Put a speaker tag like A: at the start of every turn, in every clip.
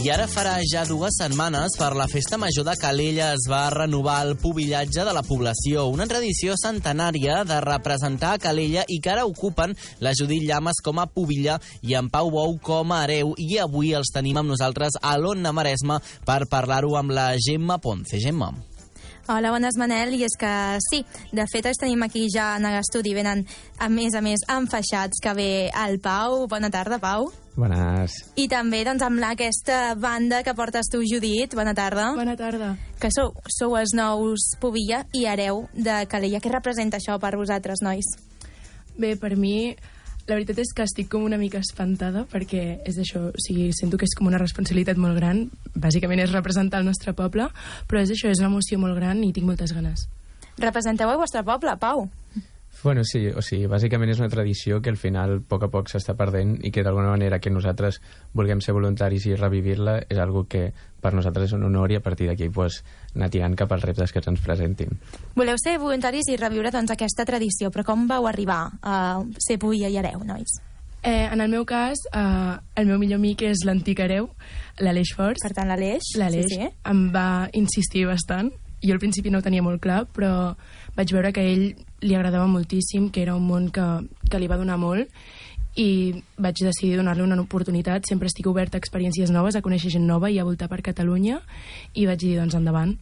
A: I ara farà ja 2 setmanes, per la Festa Major de Calella es va renovar el pubillatge de la població, una tradició centenària de representar a Calella i que ara ocupen la Judit Llamas com a pubilla i en Pau Bou com a hereu. I avui els tenim amb nosaltres a l'Ona Maresme per parlar-ho amb la Gemma Ponce. Gemma.
B: Hola, bones, Manel. I és que sí, de fet els tenim aquí ja en l'estudi, venen a més enfaixats, que ve el Pau. Bona tarda, Pau.
C: Bones.
B: I també doncs, amb aquesta banda que portes tu, Judit. Bona tarda.
D: Bona tarda.
B: Que sou els nous pubilla i hereu de Calella. Què representa això per vosaltres, nois?
D: Bé, per mi, la veritat és que estic com una mica espantada perquè és això, o sigui, sento que és com una responsabilitat molt gran. Bàsicament és representar el nostre poble, però és això, és una emoció molt gran i tinc moltes ganes.
B: Representeu el vostre poble, Pau?
C: Bueno, sí, o sigui, bàsicament és una tradició que al final a poc s'està perdent i que d'alguna manera que nosaltres vulguem ser voluntaris i revivir-la és algo que per nosaltres és un honor i a partir d'aquí pues, anar tirant cap als reptes que se'ns presentin.
B: Voleu ser voluntaris i reviure doncs, aquesta tradició, però com vau arribar a ser pubilla i hereu, nois?
D: En el meu cas, el meu millor amic és l'antic hereu, l'Aleix Forts.
B: Per tant, l'Aleix.
D: L'Aleix
B: sí.
D: Em va insistir bastant. Jo al principi no ho tenia molt clar, però vaig veure que a ell li agradava moltíssim, que era un món que li va donar molt, i vaig decidir donar-li una oportunitat. Sempre estic oberta a experiències noves, a conèixer gent nova i a voltar per Catalunya, i vaig dir, doncs, endavant.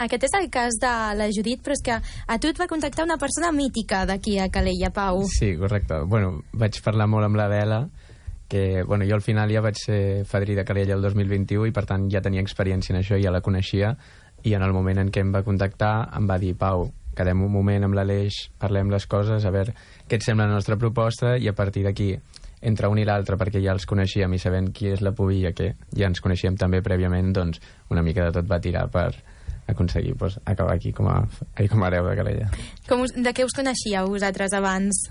B: Aquest és el cas de la Judit, però és que a tu et va contactar una persona mítica d'aquí a Calella, Pau.
C: Sí, correcte. Bueno, vaig parlar molt amb l'Adela, que bueno, jo al final ja vaig ser fadrí de Calella el 2021 i per tant ja tenia experiència en això, ja la coneixia, i en el moment en què em va contactar em va dir, Pau, quedem un moment amb l'Aleix, parlem les coses, a veure què et sembla la nostra proposta, i a partir d'aquí entre un i l'altre, perquè ja els coneixíem i sabent qui és la pubilla, que ja ens coneixíem també prèviament, doncs una mica de tot va tirar per aconseguir pues, acabar aquí com a hereu de Calella.
B: De què us coneixíeu vosaltres abans?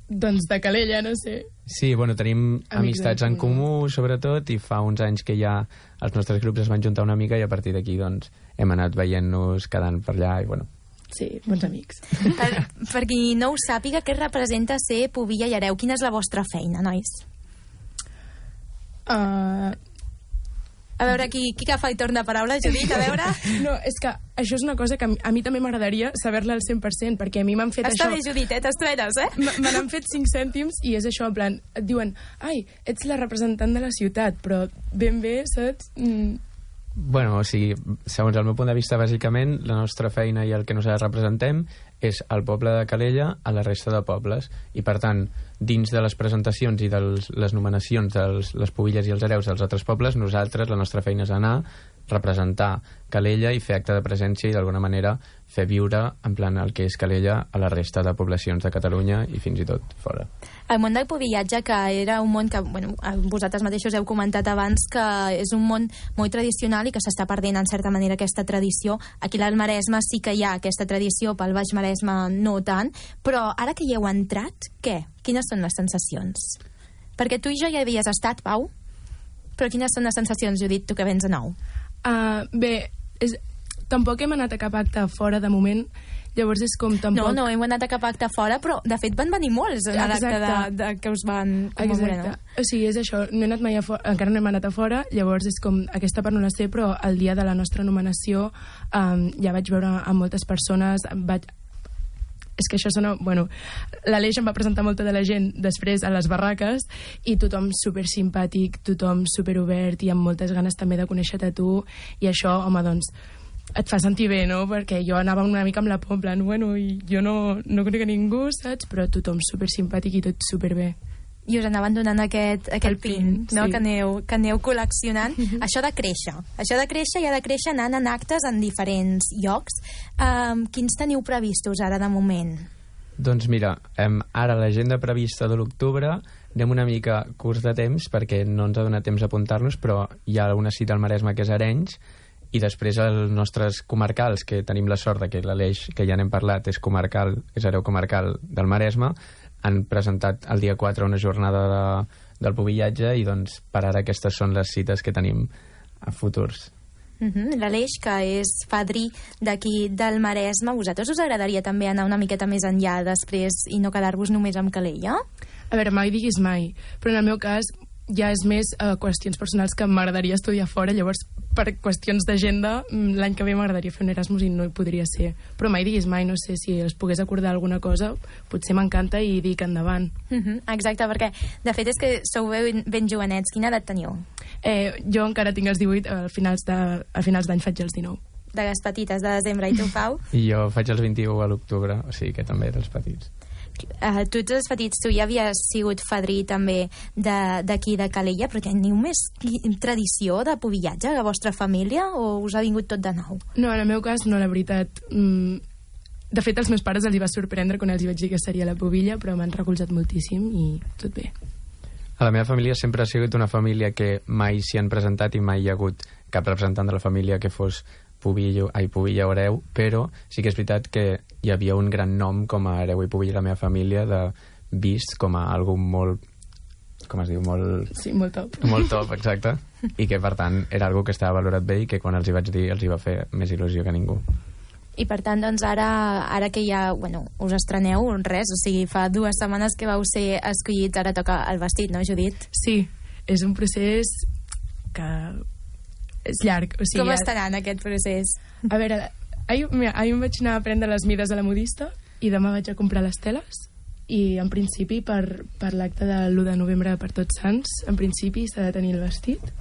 D: Doncs de Calella, no sé.
C: Sí, bueno, tenim amistats en comú, sobretot, i fa uns anys que ja els nostres grups es van juntar una mica i a partir d'aquí doncs, hem anat veient-nos, quedant per allà i bueno.
D: Sí, bons amics.
B: Per qui no ho sàpiga, què representa ser pubilla i hereu? Quina és la vostra feina, nois? A veure, qui agafa i torna paraula, Judit, a veure...
D: No, és que això és una cosa que a mi també m'agradaria saber-la al 100%, perquè a mi m'han fet
B: Està
D: això...
B: bé, Judit, t'estrenes, eh?
D: Me n'han fet 5 cèntims i és això, en plan, et diuen, ai, ets la representant de la ciutat, però ben bé, saps?
C: Bueno, o sigui, segons el meu punt de vista, bàsicament, la nostra feina i el que nosaltres representem és el poble de Calella a la resta de pobles, i per tant, dins de les presentacions i de les nomenacions de les pubilles i els hereus dels altres pobles, nosaltres, la nostra feina és anar, representar Calella i fer acte de presència i d'alguna manera fer viure en plan el que és Calella a la resta de poblacions de Catalunya i fins i tot fora.
B: El món del pubillatge, que era un món que bueno, vosaltres mateixos heu comentat abans que és un món molt tradicional i que s'està perdent en certa manera aquesta tradició. Aquí al Maresme sí que hi ha aquesta tradició, pel Baix Maresme no tant, però ara que hi heu entrat, què? Quines són les sensacions? Perquè tu i jo ja havies estat, Pau, però quines són les sensacions, Judit, tu que vens de nou?
D: Bé, tampoc hem anat a cap acte fora de moment, llavors és com tampoc...
B: No hem anat a cap acte fora, però de fet van venir molts a l'acte que us van commemorar.
D: Exacte, o sigui, és això, no he anat mai a fora, encara no hem anat a fora, llavors és com, aquesta part no la sé, però el dia de la nostra nomenació ja vaig veure a moltes persones, és que això sona... Bueno, l'Aleix em va presentar molta de la gent després a les barraques i tothom super simpàtic, tothom super obert i amb moltes ganes també de conèixer-te a tu, i això, home, doncs et fa sentir bé, no? Perquè jo anava una mica amb la por, en plan, bueno, i jo no conec a ningú, saps? Però tothom super simpàtic i tot super bé.
B: I us anaven donant aquest pin, no?
D: Sí.
B: Que aneu col·leccionant. Això de créixer i ha de créixer anant en actes en diferents llocs. Quins teniu previstos ara de moment?
C: Doncs mira, ara l'agenda prevista de l'octubre anem una mica curts de temps perquè no ens ha donat temps a apuntar-nos, però hi ha una cita al Maresme que és Arenys, i després els nostres comarcals, que tenim la sort de que l'Aleix, que ja n'hem parlat, és hereu comarcal del Maresme, han presentat el dia 4 una jornada del pubillatge i doncs per ara aquestes són les cites que tenim a futurs.
B: L'Aleix, que és fadrí d'aquí del Maresme, vosaltres us agradaria també anar una miqueta més enllà després i no quedar-vos només amb Calella?
D: A veure, mai diguis mai, però en el meu cas ja és més qüestions personals que m'agradaria estudiar fora, llavors per qüestions d'agenda l'any que ve m'agradaria fer un Erasmus i no hi podria ser, però mai diguis mai, no sé, si es pogués acordar alguna cosa potser m'encanta i dic endavant.
B: Exacte, perquè de fet és que sou ben jovenets. Quina edat teniu?
D: Jo encara tinc els 18, a finals d'any faig els 19.
B: De les petites, de desembre. I tu, Pau?
C: I jo faig els 21 a l'octubre, o sigui que també dels petits.
B: Tu ets els petits, tu ja havies sigut fadrí també d'aquí de Calella, però teniu més tradició de pubillatge a la vostra família o us ha vingut tot de nou?
D: No, en el meu cas no, la veritat. De fet, als meus pares els hi va sorprendre quan els hi vaig dir que seria la pubilla, però m'han recolzat moltíssim i tot bé.
C: A la meva família sempre ha sigut una família que mai s'hi han presentat i mai hi ha hagut cap representant de la família que fos pubilla o hereu, però sí que és veritat que hi havia un gran nom com a hereu i pubilla a la meva família, de vist com a algú molt, com es diu, molt...
D: Sí, molt top.
C: Molt top, exacte. I que, per tant, era algo que estava valorat bé i que quan els hi vaig dir els hi va fer més il·lusió que ningú.
B: I per tant, doncs, ara que ja, us estreneu res, o sigui, fa 2 setmanes que vau ser escollits, ara toca el vestit, no, Judit?
D: Sí, és un procés que és llarg. O sigui,
B: com estarà en aquest procés?
D: A veure, ahir em vaig anar a prendre les mides a la modista i demà vaig a comprar les teles i en principi per l'acte de l'1 de novembre per Tots Sants, en principi s'ha de tenir el vestit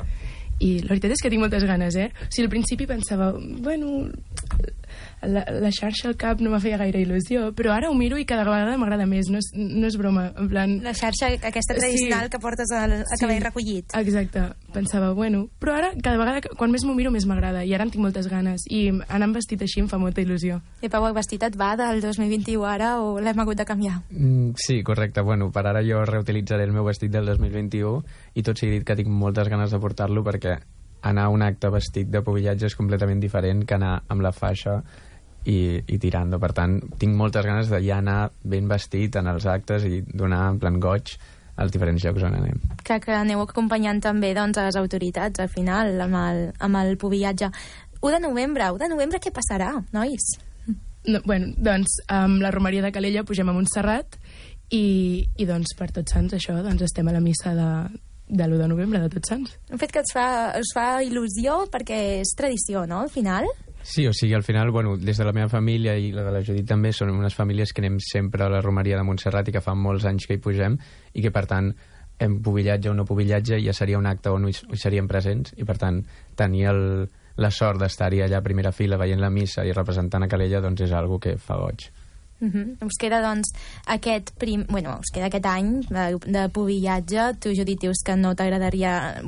D: i la veritat és que tinc moltes ganes, O sigui, al principi pensava, la xarxa al cap no m'ha feia gaire il·lusió, però ara ho miro i cada vegada m'agrada més, no és broma, en plan...
B: La xarxa aquesta tradicional que portes a cabell recollit.
D: Exacte, pensava, però ara cada vegada, quan més m'ho miro, més m'agrada, i ara en tinc moltes ganes, i anar amb vestit així em fa molta il·lusió.
B: I Pau, el vestit et va del 2021 ara o l'hem hagut de canviar?
C: Sí, correcte, per ara jo reutilitzaré el meu vestit del 2021 i tot sigui dit que tinc moltes ganes de portar-lo perquè anar a un acte vestit de pubillatge és completament diferent que anar amb la faixa i tirando. Per tant, tinc moltes ganes de ja anar ben vestit en els actes i donar en plan goig als diferents llocs on anem.
B: Que aneu acompanyant també doncs, a les autoritats al final amb el pubillatge. 1 de novembre què passarà, nois?
D: No, doncs amb la romeria de Calella pugem a Montserrat i doncs per Tots Sants això, doncs estem a la missa de l'1 de novembre de Tots Sants.
B: Un fet que us fa il·lusió perquè és tradició, no, al final?
C: Sí, o sigui, al final, des de la meva família i la de la Judit també, són unes famílies que anem sempre a la romeria de Montserrat i que fa molts anys que hi pugem i que, per tant, en pubillatge o no pubillatge ja seria un acte on hi seríem presents i, per tant, tenir la sort d'estar-hi allà a primera fila veient la missa i representant a Calella, doncs és algo que fa goig.
B: Us queda doncs aquest any de pubillatge. Tu, Judit, dius que no t'agradaria,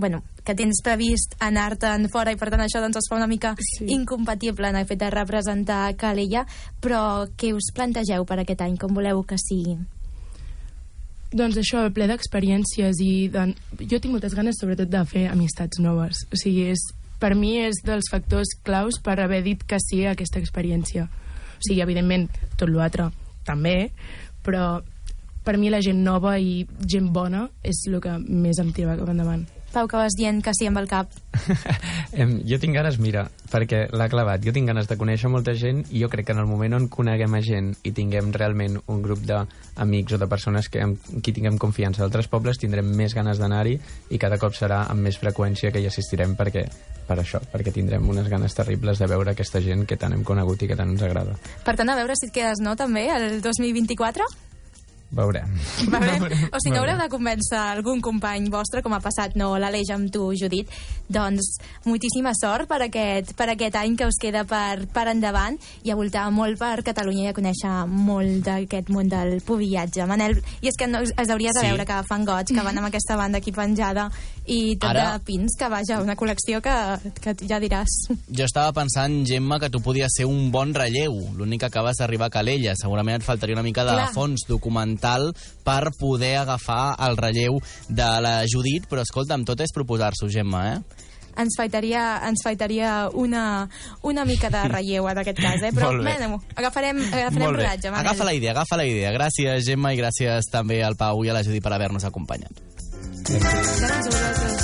B: que tens previst anar-te'n fora i per tant això doncs es fa una mica incompatible en el fet de representar Calella, però què us plantegeu per aquest any? Com voleu que sigui?
D: Doncs això, ple d'experiències i jo tinc moltes ganes sobretot de fer amistats noves, o sigui, per mi és dels factors claus per haver dit que sí a aquesta experiència. O sigui, evidentment, tot l'altre també, però per mi la gent nova i gent bona és el que més em tira cap endavant.
B: Pau, que vas dient que sí amb el cap.
C: Jo tinc ganes, perquè l'ha clavat, jo tinc ganes de conèixer molta gent i jo crec que en el moment on coneguem a gent i tinguem realment un grup d'amics o de persones amb qui tinguem confiança d'altres pobles, tindrem més ganes d'anar-hi i cada cop serà amb més freqüència que hi assistirem perquè tindrem unes ganes terribles de veure aquesta gent que tant hem conegut i que tant ens agrada.
B: Per tant, a veure si et quedes, no, també, el 2024?
C: Veurem.
B: O sigui que haureu de convèncer algun company vostre, com ha passat l'Aleix amb tu, Judit. Doncs moltíssima sort per aquest any que us queda per endavant i a voltar molt per Catalunya i a conèixer molt d'aquest món del pubillatge. Manel, i és que es hauries de veure que fan goig, que van amb aquesta banda aquí penjada i tot de pins, que vaja, una col·lecció que ja diràs.
A: Jo estava pensant, Gemma, que tu podies ser un bon relleu, l'únic que acabes d'arribar a Calella. Segurament et faltaria una mica de fons documental per poder agafar el relleu de la Judit, però escolta'm, tot és proposar-s'ho, Gemma,
B: Ens faltaria una mica de relleu en aquest cas, però agafarem rodatge.
A: Agafa la idea. Gràcies, Gemma, i gràcies també al Pau i a la Judit per haver-nos acompanyat.
B: Gràcies a vosaltres.